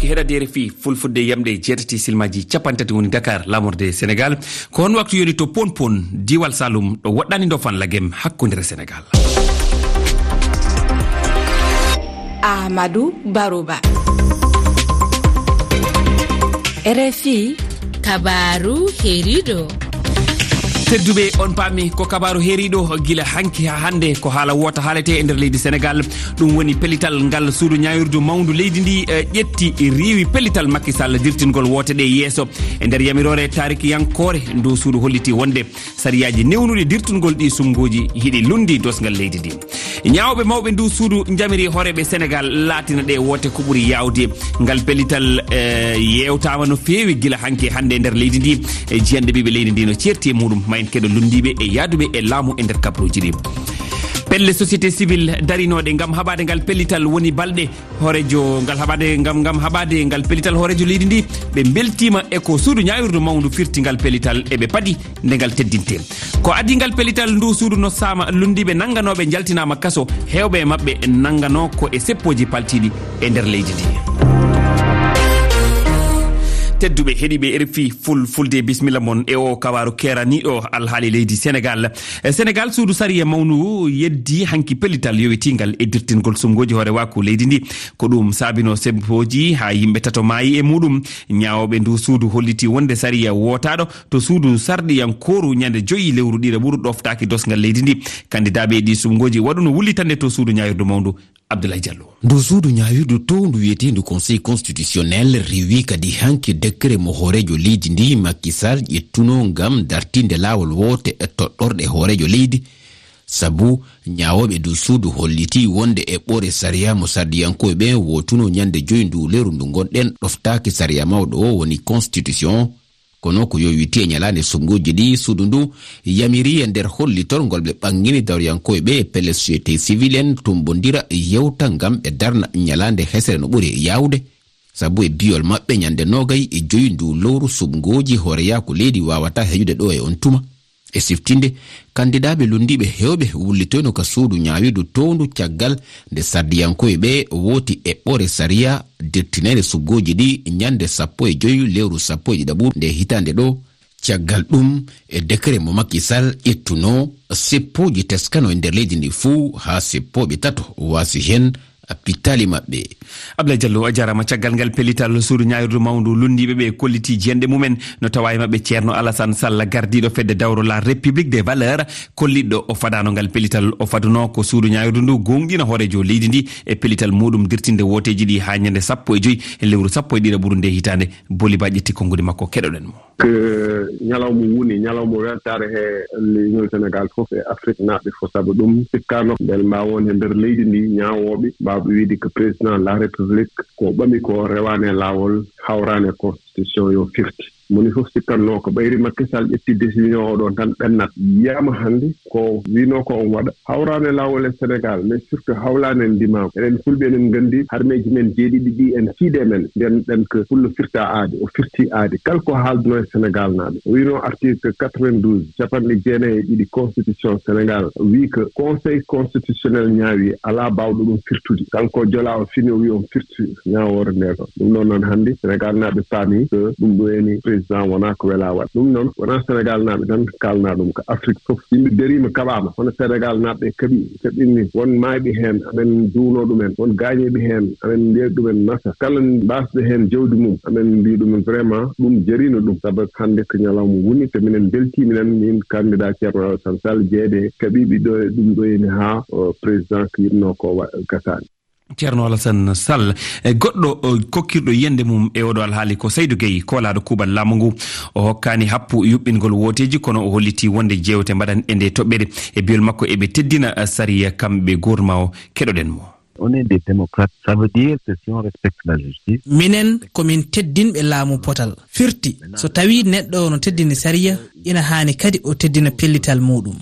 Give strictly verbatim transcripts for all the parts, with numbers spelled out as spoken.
Heɗade R F I Fulfulde, yamɗe jeetati silmaaji capanɗe tati woni Dakar, laamorde Senegaal. Ko on waktu yoni to Pon Pon, diiwal Saalum, ɗo woɗɗaani ndofan lagem hakkundere Senegaal? Ahmadu Baruba. R F I. Kabaaru heeriiɗo. Tedduɓe, on paami ko kabaaru heeriiɗo gila hanki haa hannde, ko haala woota haalete e nder leydi Senegaal. Ɗum woni pellital ngal suudu ñaawirdu mawndu leydi ndi, eh, ƴetti, riiwi pellital Macky Sall dirtingol woote ɗe yeeso. E nder yamiroore taarikiyankoore, ndu suudu holliti wonde sariyaaji newnuɗi dirtungol ɗi sumngooji hiɗi lunndi dosngal leydi ndi. Ñaawɓe mawɓe ndu suudu njamiri hooreeɓe Senegaal laatina ɗe woote ko ɓuri yaawde. Ngal pellital, eh, yeewtaama no feewi gila hanki hannde e nder leydi ndi. E jiyanɗe ɓiɓɓe leydi ndi no ceerti e muɗum, ma en keɗo lunndiiɓe e yahduɓe e laamu e nder kabaruuji ɗi. Pelle société civile darinooɗe ngam haɓaade ngal pellital woni balɗe. Hooreejo ngal haɓaade ngam, ngam haɓaade ngal pellital hooreejo leydi ndi, ɓe mbeltiima e ko suudu ñaawirdu mawndu firti ngal pellital, e ɓe padi nde ngal teddinte. Ko adii ngal pellital ndu suudu no saama lunndiiɓe nannganooɓe njaltinaama kaso, heewɓe e maɓɓe nannganoo ko e seppooji paltiiɗi e nder leydi ndi. Tedduɓe heɗiiɓe R F I Fulfulde, bisimilla mon e o kabaaru keeraniiɗo alhaali leydi Senegaal. E Senegaal, suudu sariya mawnu yeddi hanki pellital yowitiingal e dirtingol sumngooji hoorewaaku leydi ndi. Ko ɗum saabino seppooji haa yimɓe tato maayi e muɗum. Ñaawooɓe ndu suudu holliti wonde sariya wootaaɗo to suudu sarɗiyankooru ñande joyi lewru ɗiɗaɓuru ɗoftaaki dosngal leydi ndi. Kandidaaɓe e ɗi sumngooji waɗuno wullitande to suudu ñaawirdu mawndu. Abdoulaye Diallo. Ndu suudu ñaawirdu towndu wiyeteendu Conseil constitutionnel rewi kadi hanki décret mo hooreejo leydi ndi Macky Sall ƴettuno ngam dartinde laawol woote e toɗɗorɗe hooreejo leydi. Sabu ñaawooɓe ndu suudu holliti wonde eɓɓoore sariya mo sarɗiyankooɓe ɓen wootuno ñande joyi ndu lewru ndu ngonɗen ɗoftaaki sariya mawɗo o, woni constitution. Kono ko yowiti e ñalaande sumngooji ɗi, suudu ndu yamiri e nder hollitol ngol ɓe ɓangini dawriyankooɓe ɓe e pelle société civile en tumbondira yewta ngam ɓe darna ñalaande hesere no ɓuri yaawde. Sabu e biyol maɓɓe, ñande noogay e joyi ndu lowru, sumngooji hooreyaaku leydi waawata heƴude ɗo e on tuma. E siftinde, kandidaaɓe lunndiiɓe heewɓe wullitoyno ka suudu ñaawirdu towndu caggal nde sardiyankooɓe ɓe wooti eɓɓoore sariya dirtineede sumngooji ɗi ñande sappo e joyi lewru sappo e ɗiɗaɓuru nde hitaande ɗo. Caggal ɗum, e décret mo Macky Sall ƴettuno, seppooji teskano e nder leydi ndi fuu haa seppooɓe tato waasi heen pittaali maɓɓe. Ablaye Diallo, a jaaraama. Caggal ngal pellital, suudu ñaawirdu mawndu lunndiiɓe ɓe kolliti jiyanɗe mumen, no tawa e maɓɓe Ceerno Alassane Sall, gardiiɗo fedde dawro La République des Valeurs, kolliɗo o fadaano ngal pellital. O faduno ko suudu ñaawirdu ndu goongɗina hooreejo leydi ndi e pellital muɗum dirtinde wooteeji ɗi haa ñande sappo e joyi lewru sappo e ɗiɗaɓuru nde hitaande. Boli Ba ƴetti konnguɗi makko, keɗoɗen mo. Ko ñalawma woni, ñalawma weltaare he Union Sénégal fof e Afrique naaɓe fof. Sabu ɗum sikkaano mbele mbaawa won he nder leydi ndi ñaawooɓe mbaawɓe wiide ko président de la République ko ɓami ko rewaani e laawol, hawraani e constitution yo firti. Moni fof sikkatnoo ko ɓayri Macky Sall ƴetti décision o ɗon tan ɓennat. Yiyaama hannde ko wiinoo ko on waɗa. Hawraani e laawol e Sénégal, mais surtout hawlaani en ndimaagu. Enen Fulɓe enen nganndi harmeeji men jeeɗiɗi ɗi en tiiɗe men. Mbiyen ɗen ko Fullo firta aadi, o firti aadi. Kala ko haaldunoo e Sénégal naaɓe. O wiinoo article quatre-vingt-douze, capanɗe jeenayi e ɗiɗi constitution Sénégal, wii ko Conseil constitutionnel ñaawi, alaa baawɗo ɗum firtude. Kanko o jola o fini o wii on firti ñaawoore nde ɗon. Ɗum ɗon noon hannde Sénégal naaɓe paami ko ɗum ɗo eni président wonaa ko welaa waɗ. Ɗum noon wonaa Sénégal naaɓe tan kaalnaa ɗum, ko Afrique fof. Yimɓe dariima kaɓaama, hono Sénégal naaɓe kaɓi, kaɓinni. Won maayɓe heen, amen duwno ɗumen. Won gaañiiɓe heen, amen mbiya ɗumen masa. Kala mbaasɓe heen jawdi mum, amen mbiya ɗumen vraiment ɗum jariino ɗum. Sabu hannde ko ñalawma woni, te minen mbeltii minen, min candidat Ceerno Alassane Sall, jeeyde kaɓiiɓe ɗo e ɗum ɗo eni haa, o, président ko yiɗnoo ko wa-, gasaani. Ceerno Alassane Sall, e goɗɗo, o, kokkirɗo yiyannde mum e oɗo alhaali ko Saydou Gueye, koolaaɗo kuuɓal laamu ngu. O hokkaani happu yuɓɓingol wooteeji, kono o holliti wonde jeewte mbaɗan e nde toɓɓere. E biyol makko, eɓe teddina, a, sariya kamɓe gouvernement o. Keɗoɗen mo. On est des démocrates, ça veut dire que si on respecte la justice. Minen ko min teddinɓe laamu potal. Firti, so tawii neɗɗo o no teddini sariya, ina haani kadi o teddina pellital muuɗum.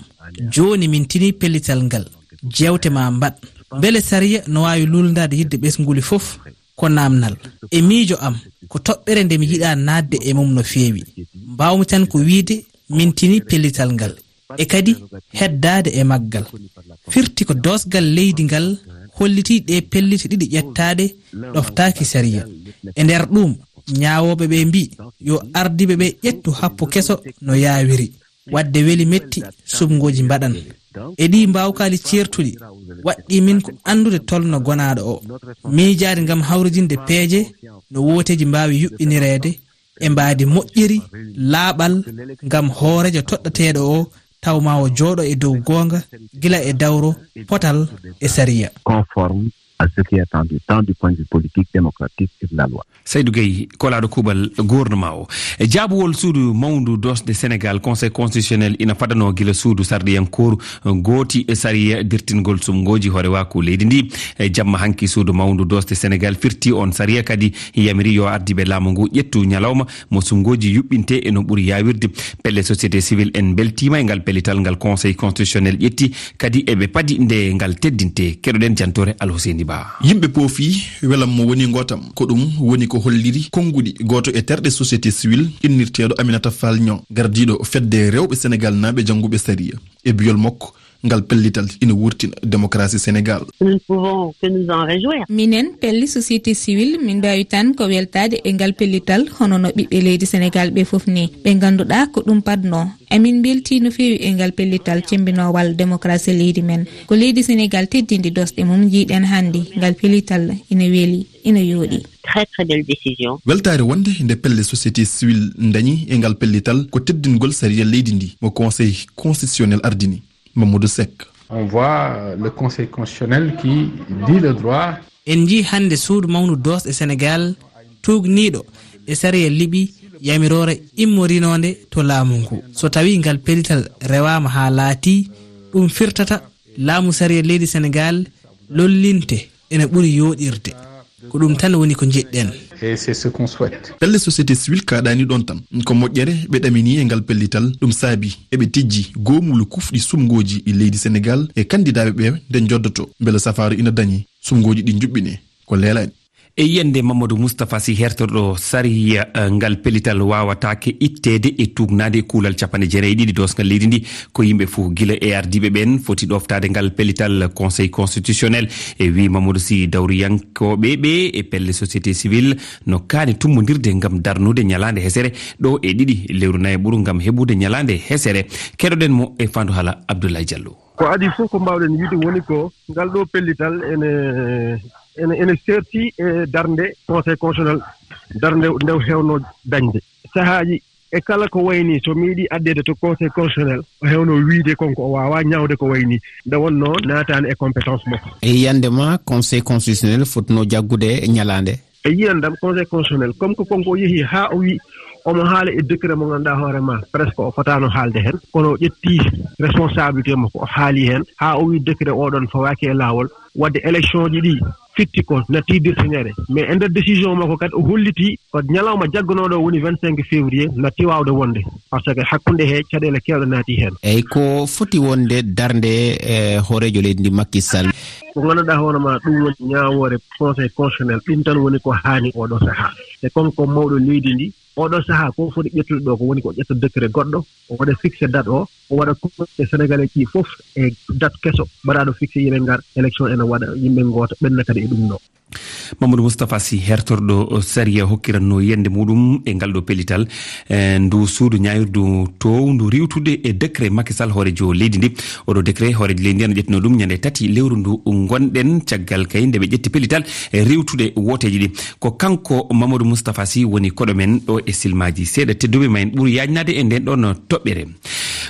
Jooni min tinii pellital ngal. Jeewte ma mbaɗ. Mbele sariya no waawi luulndaade yidde ɓesnguuli fof? Ko naamnal. E miijo am, ko toɓɓere nde mi yiɗaa naatde e mum no feewi. Mbaawmi tan ko wiyde min tinii pellital ngal. E kadi heddaade e maggal. Firti ko doosgal leydi ngal hollitii ɗee pellite ɗiɗi ƴettaaɗe ɗoftaaki sariya. E nder ɗum, ñaawooɓe ɓe mbii yo ardiiɓe ɓe ƴettu happu keso no yaawiri. Waɗde weli metti, suɓngooji mbaɗan. E ɗii mbaawkaali ceertuɗi, waɗɗii min ko anndude tolno gonaaɗo o. Miijaade ngam hawridinde peeje no wooteeji mbaawi yuɓɓinireede e mbaadi moƴƴiri, laaɓal, ngam hooreejo toɗɗateeɗo o taw ma o jooɗo e dow goonga, gila e dawro, potal e sariya. Conforme à ce qui est attendu, tant du point de vue politique, démocratique et de la loi. Saydou Gueye, kolaaɗo kuuɓal gouvernement o. E jaabuwol suudu mawndu doosde Sénégal, Conseil constitutionnel ina fadanoo gila suudu sarɗiyankooru gooti e sariya dirtingol suɓngooji hoorewaaku leydi ndi. E jamma hanki, suudu mawndu doosde Sénégal firti on sariya, kadi yamiri yo ardiiɓe laamu ngu ƴettu ñalawma mo suɓngooji yuɓɓinte e no ɓuri yaawirde. Pelle société civile en mbeltiima e ngal pellital ngal Conseil constitutionnel ƴetti, kadi eɓe padi nde ngal teddinte. Keɗoɗen jantoore Alhuseyni Ba. Yimɓe poofi, welam mo woni ngootam. Ko ɗum woni ko holliri konnguɗi gooto e terɗe société civile innirteeɗo Aminata Fall Niang, gardiiɗo fedde rewɓe Sénégal naaɓe jannguɓe sariya. E biyol makko, ngal pellital ina wurtina démocratie Sénégal. Nous ne pouvons que nous en réjouir. Minen, pelle société civile, min mbaawi tan ko weltaade e ngal pellital, hono no ɓiɓɓe leydi Sénégal ɓe fof ni. Ɓe ngannduɗaa ko ɗum padnoo. Emin mbeltii no feewi e ngal pellital cemmbinoowal démocratie leydi men. Ko leydi Sénégal teddindi doosɗe mum, njiiɗen hannde ngal pellital ina weli, ina yooɗi. Très, très belle décision. Weltaare wonde nde pelle société civile ndañi e ngal pellital ko teddingol sariya leydi ndi mo Conseil constitutionnel ardini. Mamadou Seck. On voit, euh, le Conseil constitutionnel qui dit le droit. En njii hannde suudu mawndu doosɗe Sénégal tuugniiɗo e sariya liɓi yamiroore immorinoonde to laamu ngu. So tawii ngal pellital rewaama haa laatii, ɗum firtata laamu sariya leydi Sénégal lollinte ene ɓuri yooɗirde. Ko ɗum tan woni ko njiɗɗen. Et c'est ce qu'on souhaite. Pelle société civile kaaɗaani ɗoon tan. Ko moƴƴere ɓe ɗaminii e ngal pellital, ɗum saabii eɓe tijji goomulu kufɗi suɓngooji e leydi Sénégal e kanndidaaɓe ɓe nde njoddoto mbele safaaru ina dañi, suɓngooji ɗi njuɓɓinee ko leelaani. E yiyannde Mamadou Moustapha Sy, hertorɗo sariya, eh, ngal pellital waawataake itteede e tuugnaade e kuulal capanɗe jeenayi e ɗiɗi doosngal leydi ndi. Ko yimɓe fof, gila e ardiiɓe ɓeen, foti ɗooftaade ngal pellital Conseil constitutionnel. E wii Mamadou Sy, dawriyankooɓe ɓe e pelle société civile no kaani tummbondirde ngam darnude ñalaande hesere ɗo e ɗiɗi lewru nayaɓuru ngam heɓude ñalaande hesere. Keɗoɗen mo e faandu haala Abdoulaye Diallo. Ko adii fof ko mbaawɗen wiyde woni ko ngal ɗo pellital ene, ene, ene seerti e darnde Conseil constitutionnel, darnde nde o heewno dañde. Sahaaji e kala ko wayi nii, so mi yiɗi addeede to Conseil constitutionnel, o heewno wiyde kon ko o waawaa ñaawde ko wayi nii. Nde wonnoo naataani e compétence makko. E yiyannde ma, Conseil constitutionnel fotnoo jaggude ñalaande? E yiyannde am, Conseil constitutionnel, comme ko kon ko o yehi haa o wi omo haala e décret mo ngannduɗaa hoore ma, presque o fotaano haalde heen, kono o ƴetti responsabilité makko, o haali heen, haa o wi décret o ɗon fawaaki e laawol, waɗde élection ji ɗi fitti ko natti dirtinere. Mais e nder décision makko kadi, o holliti ko ñalawma jagganooɗo o woni vingt-cinq février natti waawde wonde, parce que hakkunde he caɗeele keewɗe naati heen. Eyi, ko foti wonde darnde, e, hooreejo leydi ndi, Macky Sall? Ko ngannduɗaa hoore ma, ɗum woni ñaawoore Conseil constitutionnel, ɗum tan woni ko haani oɗo sahaa. E kon ko mawɗo leydi ndi, oɗo sahaa ko foti ƴettude ɗo ko woni ko ƴetta décret goɗɗo, o waɗa fixé date o, o waɗa consulté Sénégalais ji fof e date keso mbaɗaaɗo fixé, yimɓe ngar, élection ene waɗa, yimɓe ngoota, ɓenna kadi e ɗum ɗo. Mamadou Moustapha Sy, hertorɗo sariya, hokkiranno yiyannde muɗum e ngal ɗo pellital, e ndu suudu ñaawirdu toowndu riiwtude e décret Macky Sall, hooreejo leydi ndi. Oɗo décret, hooreejo leydi ndi ene ƴettino ɗum ñande tati lewru ndu ngonɗen, caggal kay nde ɓe ƴetti pellital e riiwtude wooteeji ɗi. Ko kanko Mamadou Moustapha Sy woni koɗo men ɗo e silmaaji seeɗa. Tedduɓe, ma en ɓur yaajnaade e nden ɗon toɓɓere.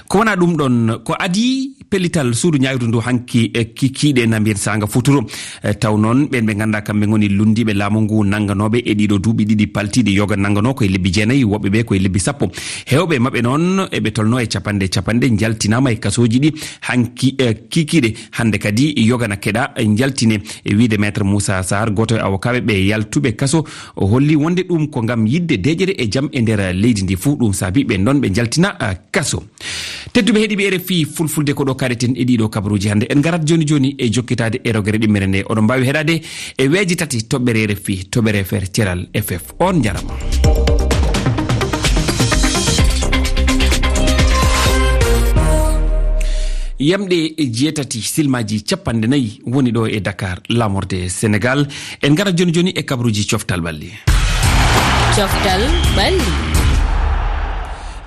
Ko wona ɗum ɗon, ko adii pellital suudu ñaawirdu ndu hanki, e kikiiɗe na mbiyen saanga futuro. E taw noon, ɓeen ɓe ngannduɗaa kamɓe ngoni lunndiiɓe laamu ngu, nannganooɓe e ɗiɗo duuɓi ɗiɗi paltiiɗi, yoga nannganoo koye lebbi jeenayi, woɓɓe ɓe koye lebbi sappo. Heewɓe maɓɓe noon, eɓe tolnoo e capanɗe capanɗe, njaltinaama e kasooji ɗi hanki, e kikiiɗe. Hannde kadi, yoga na keɗaa njaltine. E wiyde Maître Moussa Sarr, gooto e awokaaɓe ɓe yaltuɓe kaso, o holli wonde ɗum ko ngam yiɗde deeƴere e jam e nder leydi ndi fuu. Ɗum saabi ɓeen ɗon ɓe njaltina, a, kaso. Tedduɓe heɗiiɓe R F I Fulfulde, ko ɗo kaɗeten e ɗiɗo kabaruuji hannde. En ngarat jooni jooni e jokkitaade e rogere ɗimmere nde. Oɗon mbaawi heɗaade e weeji tati toɓɓere R F I, toɓɓere F R, ceral F F. On njarama. Yamɗe e jeetati, silmaaji capanɗe nayi woni ɗo e Dakar, laamorde Senegal. En ngara jooni jooni e kabruuji coftal ɓalli. Coftal ɓalli.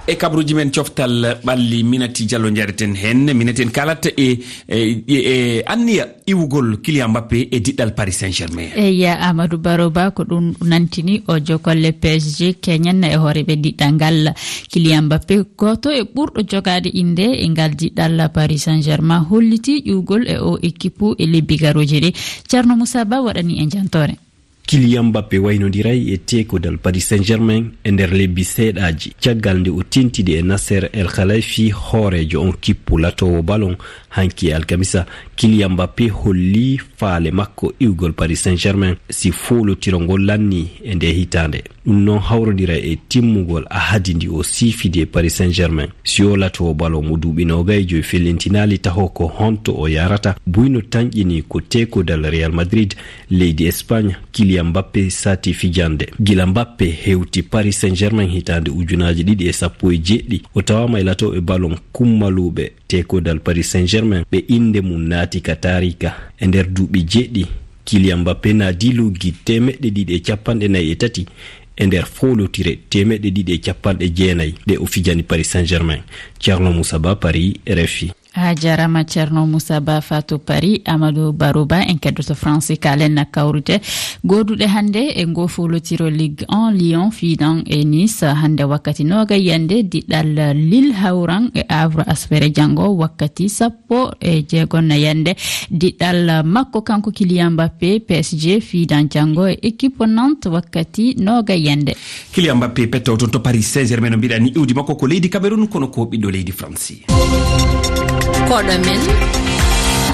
E kabruuji men coftal ɓalli, Minati Diallo njareten heen. Minati, en kaalat e, e, e, e anniya iwugol Kylian Mbappé e diɗɗal Paris Saint-Germain. Eya, Amadou Baro Ba, ko ɗum nantini o jokolle P S G keñen e hooreeɓe diɗɗal ngal. Kylian Mbappé, gooto e ɓurɗo jogaade innde e ngal diɗɗal Paris Saint-Germain, hollitii ƴuwgol e o ekipu e lebbi garooji ɗi. Ceerno Moussa Ba waɗani en jantoore. Kylian Mbappé waynodiray e teekodal Paris Saint-Germain e nder lebbi seeɗaaji, caggal nde o tentidi e Nasser El Khelaifi, hooreejo on kippu latoowo balon, hanki e alkamisa. Kylian Mbappé holli faale makko iwgol Paris Saint-Germain si foolotiro ngol lanni e nde hitaande. Ɗum noon hawrodira e timmugol ahadi ndi o siifidi e Paris Saint-Germain. Si o latoowo balon mo duuɓi noogay e joy fellintinaali taho ko honto o yahrata, buy no tanƴini ko teekodal Real Madrid leydi Espagne, Kylian Mbappé saati fijande. Gila Mbappé hewti Paris Saint-Germain hitaande ujunaaji ɗiɗi e sappo e jeeɗiɗi, o tawaama e latooɓe balon kummaluuɓe teekodal Paris Saint-Germain, ɓe innde mum naati ka taariika. E nder duuɓi jeeɗiɗi, Kylian Mbappé naadii luggi teemeɗɗe ɗiɗi e capanɗe nayi e tati e nder foolotire teemeɗɗe ɗiɗi e capanɗe jeenayi ɗe o fijani Paris Saint-Germain. Ceerno Moussa Ba, Paris, R F I. A jaaraama, Ceerno Moussa Ba, Fatou Paris, Amadou Baro Ba, en keddoto France, kaalen na kawrite gooduɗe hannde e ngoo foolotiro Ligue un, Lyon fiidan e Nice. Hannde wakkati nooga yiyannde, diɗɗal Lille hawran e Havre aspere janngo wakkati sappo e jeegom na yiyannde. Diɗɗal makko kanko Kylian Mbappé, P S G fiidan janngo e ekipo Nantes wakkati nooga yiyannde. Kylian Mbappé petto toon to Paris Saint-Germain, no mbiɗa ni, iwdi makko ko leydi Cameroun, kono ko ɓiɗɗo leydi France. Koɗo men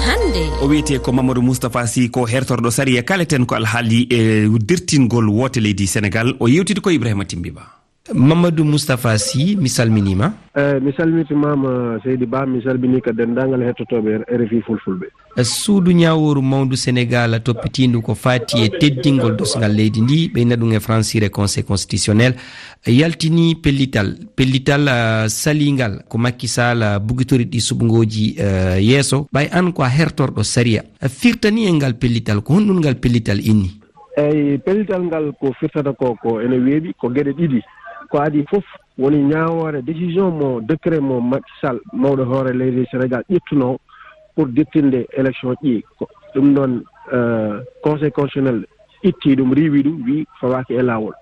hannde. O wiyetee ko Mamadou Moustapha Sy, ko hertorɗo sariya, kaleten ko alhaali e dirtingol woote leydi Senegal. O yewtidi ko Ibrahima Timbi Ba. Mamadou Moustapha Sy, mi salminiima. Eh, mi salmitimaama, Seydi Ba, mi salminii ka denndaangal hettotooɓe R F I Fulfulɓe. Suudu ñaawooru mawndu Senegaal toppitiindu ko faati e teddingol dosngal leydi ndi, ɓeyna ɗum e francire Conseil constitutionnel, yaltini pellital, pellital, ah, saliingal ko Macky Sall, ah, bugitori ɗi suɓngooji, eh, yeeso. Ɓay an ko a hertorɗo sariya, a firtani en ngal pellital, ko honɗum ngal pellital inni? Eyi, pellital ngal ko firtata ko, ko ene weeɓi, ko geɗe ɗiɗi. Ko adii fof woni ñaawoore, décision mo, décret mo Macky Sall, mawɗo hoore leydi Senegaal, ƴettunoo pour dirtinde élection ji. Ko ɗum ɗoon, eh, Conseil constitutionnel itti ɗum, riiwi ɗum, wii fawaaki e laawol.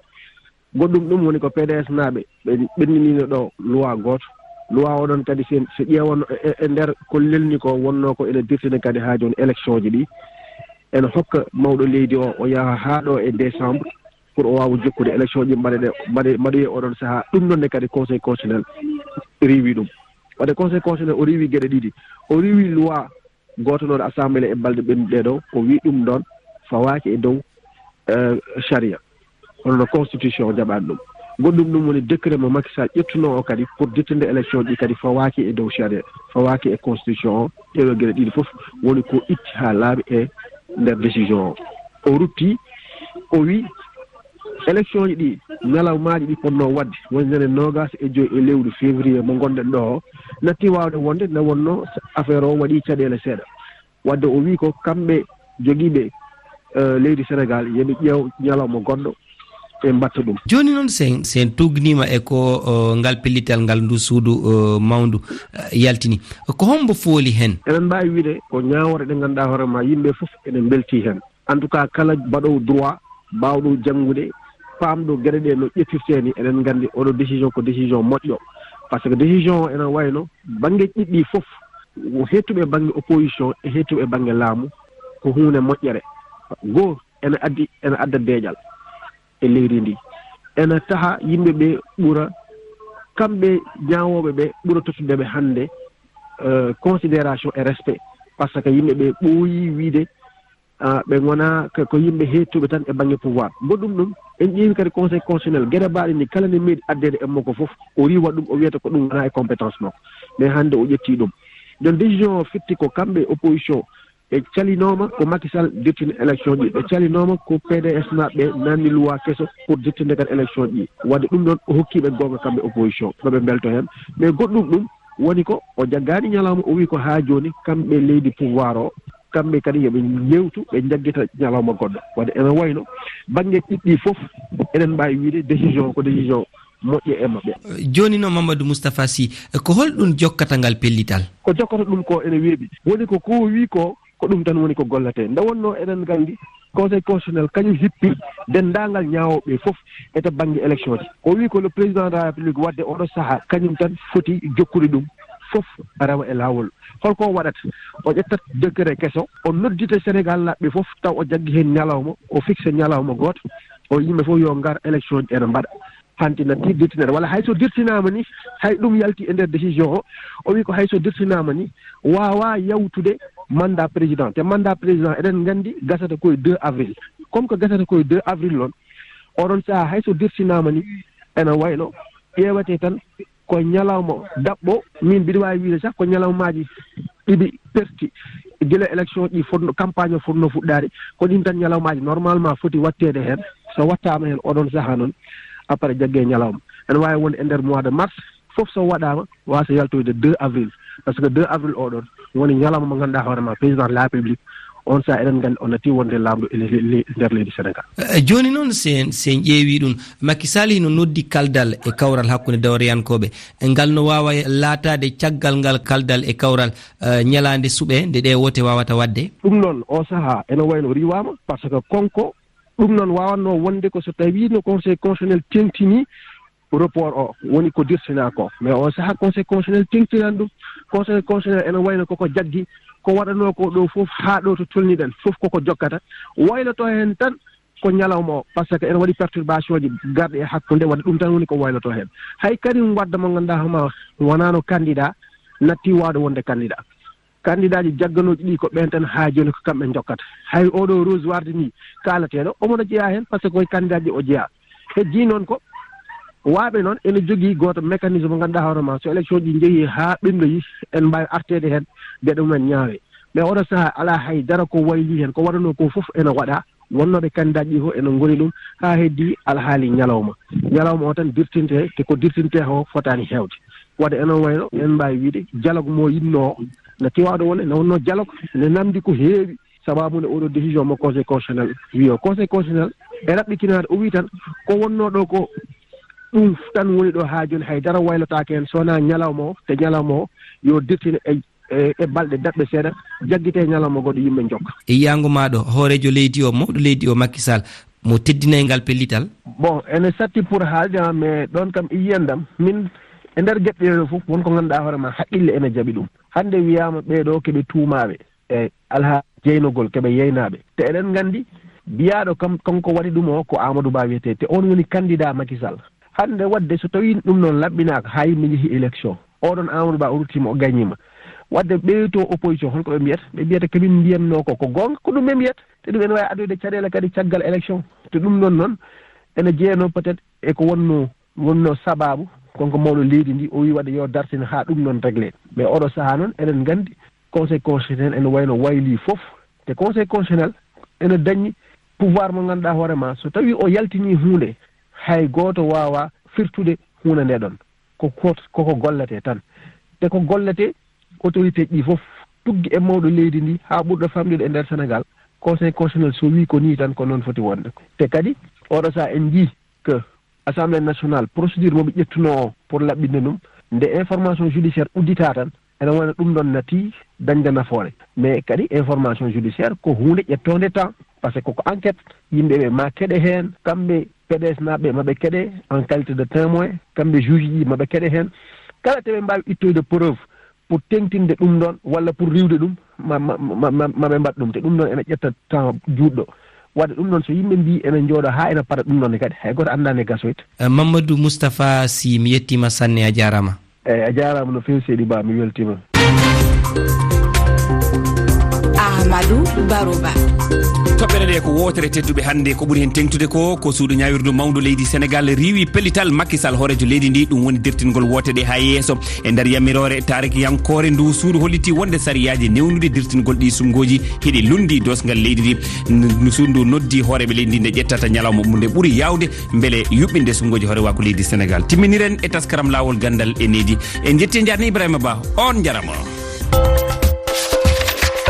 Goɗɗum ɗum woni ko P D S naaɓe ɓe ɓenndiniino ɗo loi gooto. Loi o ɗon kadi, so, so ƴeewano e, e, e nder ko lelni ko, wonnoo ko ene dirtini kadi haa jooni élection ji ɗi. Ene hokka mawɗo leydi o, o yaha haa ɗo e décembre pour o waawa jokkude élection ji mbaɗe ɗe, mbaɗe, mbaɗoye oɗon sahaa. Ɗum noon ne kadi Conseil constitutionnel riiwi ɗum. Waɗde Conseil constitutionnel o riiwi geɗe ɗiɗi. O riiwi loi gooto noon Assemblée e balɗe ɓennuɗe ɗo, o wi ɗum ɗon fawaaki e dow, eh, sharia. Hono no constitution o jaɓaani ɗum. Goɗɗum ɗum woni décret mo Macky Sall ƴettunoo o kadi pour dittinde élection ɗi kadi fawaaki e dow sharia, fawaaki e constitution o. Ɗeɗo geɗe ɗiɗi fof woni ko itti haa laaɓi e nder décision o. O rutti, o wi élection ji ɗi, ñalawmaaji ɗi potnoo waɗde, woni ñande noogas e joy e lewru février mo ngonɗen ɗo o, natti waawde wonde nde wonnoo affaire o waɗi caɗeele seeɗa. Wadde o wi ko kamɓe jogiiɓe, eh, leydi Senegaal, yo ɓe ƴeew ñalawma goɗɗo, ɓe mbatta ɗum. Jooni noon, sen, sen tuugniima e ko, o, ngal pellital ngal ndu suudu, o, mawndu, eh, yaltini. Ko hombo fooli hen? Eɗen mbaawi wiide ko ñaawoore ɗe ngannduɗaa hoore ma yimɓe fof ene mbeltii hen. En tout cas, kala baɗoowo droit, baawɗo janngude, paamɗo geɗe ɗe no ƴettirtee ni, eɗen nganndi oɗo décision ko décision moƴƴo. Par ce que décision o ene wayno bannge ɗiɗi fof, heettuɓe bannge opposition e heettuɓe bannge laamu, ko huunde moƴƴere. Goo ene addi, ene adda deeƴal e leydi ndi. Ene taha yimɓe ɓe ɓura, kamɓe ñaawooɓe ɓe ɓura tottude ɓe hannde, eh, considération e respect. Par ce que yimɓe ɓe ɓooyi wiide, ah, ɓe ngona ko, ko yimɓe heettuɓe tan e bannge pouvoir. Goɗɗum ɗum, en ƴeewi kadi Conseil constitutionnel, geɗe mbaaɗe ni kala ne meeɗi addeede e makko fof, o riiwa ɗum, o wiyata ko ɗum wona e compétence makko. Mais hannde o ƴetti ɗum. Donc décision o firti ko kamɓe opposition, ɓe calinooma ko Macky Sall dirtini élection ji, ɓe calinooma ko P D S naaɓe ɓe naamni loi keso pour dirtinde kadi élection ji. Wadde ɗum ɗon o hokki ɓe goonga kamɓe opposition, no ɓe mbelto heen. Mais goɗɗum ɗum, Woni ko o jaggaani ñalawma, o wi ko haa jooni kamɓe leydi pouvoir o, kamɓe kadi yo ɓe njeewtu, ɓe njaggita ñalawma goɗɗo. Waɗde ene wayno bannge ɗiɗɗi fof eɗen mbaawi wiyde décision ko décision moƴƴo e maɓɓe. Jooni noon, Mamadou Moustapha Sy, ko holɗum jokkata ngal pellital? Ko jokkata ɗum ko ene weeɓi. Woni ko ko wi ko, ko ɗum tan woni ko golletee. Nde wonnoo eɗen nganndi Conseil constitutionnel kañum hippi denndaangal ñaawooɓe fof e to bannge élection ji. O wi ko le président de la République waɗde oɗo sahaa kañum tan foti jokkude ɗum fof rewa e laawol. Holko o waɗata? O ƴettat décret keso, o noddita Sénégal laaɓɓe fof, taw o jaggi heen ñalawma, o fixe ñalawma gooto, o yimɓe fof yo ngar élection ji ene mbaɗa. Hanti na ti dirtinere, walla hay so dirtinaama ni, hay ɗum yalti e nder décision o, o wi ko hay so dirtinaama ni, waawa yawtude mandat président. Te mandat président, eɗen nganndi gasata ko e deux avril. Comme ko gasata ko e deux avril noon, oɗon sahaa hay so dirtinaama ni, ene wayno ƴeewete tan ko ñalawma daɓɓo, min mbiɗa waawi wiyde sah ko ñalawmaaji ɗiɗi perti gila élection ɗi fotno, campagne o fotno fuɗɗaade, ko ɗin tan ñalawmaaji normalement foti waɗteede heen. So waɗtaama heen oɗon sahaa noon, après jagge ñalawma. Ene waawi wonde e nder mois de mars, fof so waɗaama, waasa yaltoyde deux avril. Parce que deux avril oɗon woni ñalawma mo ngannduɗaa hoore ma, président de la République, on sahaa eɗen nganndi o natti wonde laamɗo e le-, le-, le-, nder leydi Sénégal. Eh, jooni noon, sen, sen ƴeewi ɗum, Macky Sall hino noddi kaldal e kawral hakkunde dawriyankooɓe. E ngal no waawa laataade caggal ngal kaldal e kawral, eh, ñalaande suɓe nde ɗe wote waawata waɗde? Ɗum noon, o sahaa ene wayno riiwaama, parce que konko ɗum noon waawatnoo wonde ko so tawii no Conseil constitutionnel teŋtinii report o, woni ko dirtinaa ko. Mais o sahaa Conseil constitutionnel teŋtinaani ɗum. Conseil constitutionnel ene wayno koko jaggi, ko waɗanoo ko ɗo fof haa ɗo to tolniɗen fof koko jokkata. Wayloto heen tan ko ñalawma o, parce que ene waɗi perturbation ji garɗi e hakkunde, waɗi ɗum tan woni ko wayloto heen. Hay Karim Wade mo ngannduɗaa hoore ma wonaano candidat, natti waawde wonde candidat. Candidat ji jagganooji ɗi ko ɓeen tan haa jooni ko kamɓe njokkata. Hay oɗo Rose Wardini kaalateeɗo, omo no jeyaa heen, parce que koye candidat ji o jeyaa. Heddii noon ko, waaɓe noon ene jogii gooto mécanisme mo ngannduɗaa hoore ma, so élection ji njehii haa ɓennoyi, en mbaawi arteede heen, geɗe mumen ñaawee. Mais oɗo sahaa alaa hay dara ko waylii heen, ko waɗanoo ko fof ene waɗaa. Wonnooɓe candidat ji fof ene ngoni ɗum, haa heddii alhaali ñalawma. Ñalawma o tan dirtinte, te ko dirtinte o fotaani heewde. Waɗde ene wayno, en mbaawi wiyde, dialogue mo yiɗnoo, no tiwaɗo wonde, ne wonnoo dialogue, ne namdi ko heewi. Sababu nde oɗo décision mo Conseil constitutionnel wi o, Conseil constitutionnel e raɓɓitinaade, o wi tan ko wonnoo ɗo ko ɗum tan woni ɗo haa jooni, hay dara waylotaake heen, so wonaa ñalawma o, te ñalawma o yo dirtine e, e, e balɗe daɓɓe seeɗa, jaggitee ñalawma goɗɗo, yimɓe njokka. E yiyaango maaɗo, hooreejo leydi o, mawɗo leydi o, Macky Sall, mo teddinay ngal pellital? Bon, ene satti pour haalde, ah, mais ɗoon kam e yiyandam, min e nder geɗe ɗe fof, won ko ngannduɗaa hoore ma, haqqille ene jaɓi ɗum. Hannde wiyaama ɓee ɗo keɓe tuumaaɓe e alhaali jeynogol, keɓe yeynaaɓe. Te eɗen nganndi, biyaaɗo kam, kanko waɗi ɗum o, ko Amadou Ba wiyetee. Te oon woni candidat Macky Sall. Hannde waɗde, so tawii ɗum noon laɓɓinaaka, haa yimɓe njehi élection, oɗon Amadou Ba o ruttiima, o gañiima. Waɗde ɓee to opposition, holko ɓe mbiyata? Ɓe mbiyata ko min mbiyatnoo ko, ko goonga, ko ɗum ɓe mbiyata. Te ɗum ene waawi addoyde caɗeele kadi caggal élection. Te ɗum noon noon, ene jeyanoo peut-être e ko wonnoo, wonnoo sababu, kanko mawɗo leydi ndi, o wii waɗde yo dartin haa ɗum noon réglé. Mais oɗo sahaa noon, eɗen nganndi, Conseil constitutionnel ene wayno waylii fof. Te Conseil constitutionnel ene dañi pouvoir mo ngannduɗaa hoore ma, so tawii o yaltinii huunde, hay gooto waawaa firtude huunde nde ɗon. Ko kot-, koko golletee tan. Te ko golletee, autorité ji ɗi fof, tuggi e mawɗo leydi ndi haa ɓurɗo famɗude e nder Sénégal, Conseil constitutionnel so wii ko nii tan, ko noon foti wonde. Te kadi, oɗo sahaa en njii que Assemblée nationale, procédure mo ɓe ƴettunoo o pour laɓɓinde ɗum, nde information judiciaire udditaa tan, ene wona ɗum ɗon nati dañde nafoore. Mais kadi information judiciaire ko huunde ƴettoonde temps, parce que ko enquête, yimɓe ɓe ma keɗe heen, kamɓe P D S naaɓe ma ɓe keɗe en qualité de témoin, kamɓe juge ji ma ɓe keɗe heen. Kala te ɓe mbaawi ittoyde preuve pour teŋtinde ɗum ɗon walla pour riiwde ɗum, ma, ma, ma, ma, ma ɓe mbaɗ ɗum. Te ɗum ɗon ene ƴetta temps juutɗo. Waɗde ɗum ɗon, so yimɓe mbii ene njooɗo haa ene para ɗum ɗon ne kadi, hay gooto anndaa ne gasoyta. Eh, Mamadou Moustapha Sy, mi yettiima sanne, a jaaraama. Eeyi, a jaaraama no feewi, seydi Ba, mi weltiima. Madou Baroba. Toɓɓere nde ko wootere tedduɓe hannde. Ko ɓuri heen teŋtude ko, ko suudu ñaawirdu mawndu leydi Senegal riiwi pellital Macky Sall, hooreejo leydi ndi. Ɗum woni dertingol woote ɗe haa yeeso. E nder yamiroore taarikiyankoore, ndu suudu holliti wonde sariyaaji newnude dertingol ɗi sumngooji hiɗi lunndi doosngal leydi ndi. N-, suudu ndu noddi hooreeɓe leydi ndi nde ƴettata ñalawma mum nde ɓuri yaawde mbele yuɓɓinde sumngooji hoorewaaku leydi Senegal. Timminiren e taskaram Laawol Ganndal e Needi. En njetti, en njaarni Ibrahima Ba. On njarama.